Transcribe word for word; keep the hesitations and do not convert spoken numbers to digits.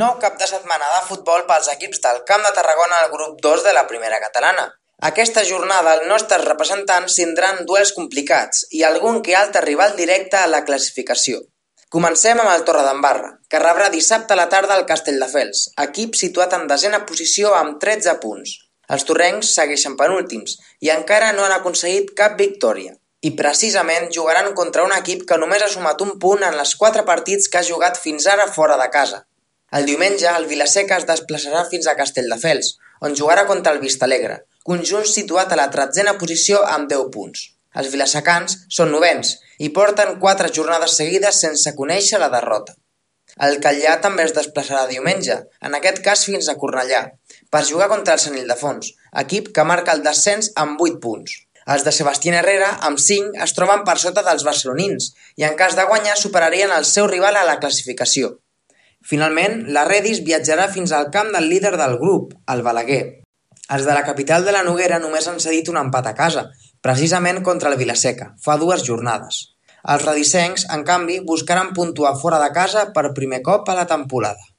Nou cap de setmana de futbol pels equips del Camp de Tarragona al grup dos de la primera catalana. Aquesta jornada els nostres representants tindran duels complicats i algun que altre rival directe a la classificació. Comencem amb el Torredembarra, que rebrà dissabte a la tarda el Castelldefels, equip situat en desena posició amb tretze punts. Els torrencs segueixen penúltims i encara no han aconseguit cap victòria. I precisament jugaran contra un equip que només ha sumat un punt en els quatre partits que ha jugat fins ara fora de casa. El diumenge, el Vila-seca es desplaçarà fins a Castelldefels, on jugarà contra el Vistalegre, conjunt situat a la tretzena posició amb deu punts. Els vilasecans són novens i porten quatre jornades seguides sense conèixer la derrota. El Catllà també es desplaçarà diumenge, en aquest cas fins a Cornellà, per jugar contra el Sant Ildefons, equip que marca el descens amb vuit punts. Els de Sebastián Herrera, amb cinc, es troben per sota dels barcelonins i en cas de guanyar superarien el seu rival a la classificació. Finalment, la Redis viatjarà fins al camp del líder del grup, el Balaguer. Els de la capital de la Noguera només han cedit un empat a casa, precisament contra el Vila-seca, fa dues jornades. Els redisencs, en canvi, buscaran puntuar fora de casa per primer cop a la temporada.